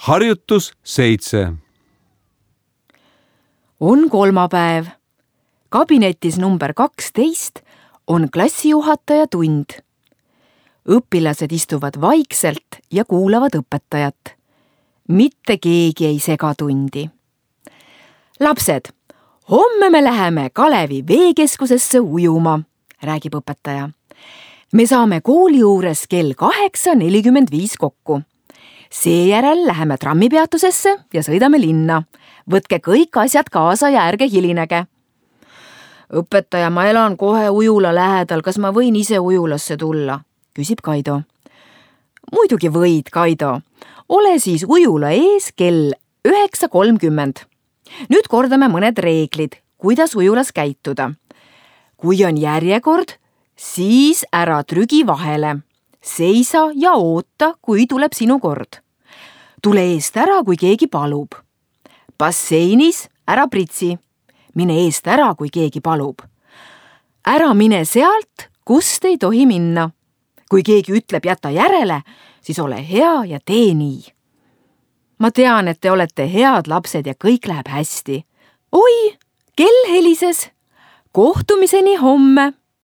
Harjutus 7. On kolmapäev. Kabinetis number 12 on klassijuhataja tund. Õpilased istuvad vaikselt ja kuulavad õpetajat. Mitte keegi ei sega tundi. Lapsed, homme me läheme Kalevi veekeskusesse ujuma, räägib õpetaja. Me saame kooli juures kell 8:45 kokku. Seejärel läheme trammipeatusesse ja sõidame linna. Võtke kõik asjad kaasa ja ärge hilinege. Õpetaja, ma elan kohe ujula lähedal, kas ma võin ise ujulasse tulla? Küsib Kaido. Muidugi võid, Kaido. Ole siis ujula ees kell 9:30. Nüüd kordame mõned reeglid, kuidas ujulas käituda. Kui on järjekord, siis ära trügi vahele. Seisa ja oota, kui tuleb sinu kord. Tule eest ära, kui keegi palub. Basseinis ära pritsi. Mine eest ära, kui keegi palub. Ära mine sealt, kust ei tohi minna. Kui keegi ütleb jäta järele, siis ole hea ja tee nii. Ma tean, et te olete head lapsed ja kõik läheb hästi. Oi, kell helises. Kohtumiseni homme.